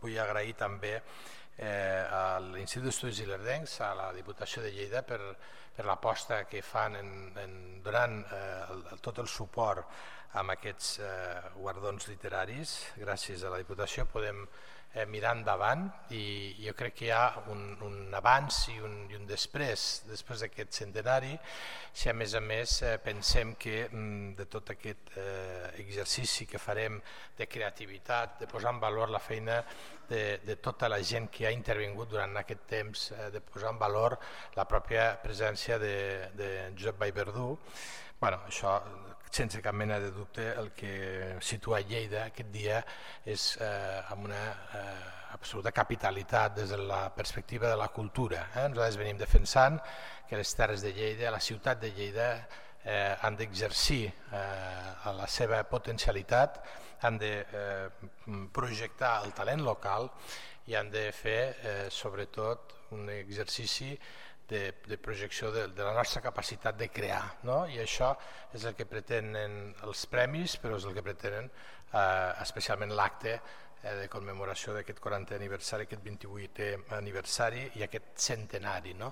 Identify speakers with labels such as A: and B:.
A: Vull agrair també a l'Institut d'Estudis Ilerdencs, a la Diputació de Lleida per l'aposta que fan donant tot el suport a aquests guardons literaris. Gràcies a la Diputació podem mirar endavant i jo crec que hi ha un abans i un després d'aquest centenari, si a més pensem que de tot aquest exercici que farem de creativitat, de posar en valor la feina de tota la gent que ha intervingut durant aquest temps, de posar en valor la pròpia presència de Josep Vallverdú, això sense cap mena de dubte el que situa Lleida aquest dia és amb una absoluta capitalitat des de la perspectiva de la cultura. Nosaltres venim defensant que les terres de Lleida, la ciutat de Lleida, han d'exercir la seva potencialitat, han de projectar el talent local i han de fer sobretot un exercici de projecció de la nostra capacitat de crear, i això és el que pretenen els premis, però és el que pretenen especialment l'acte de commemoració d'aquest 40è aniversari, aquest 28è aniversari i aquest centenari.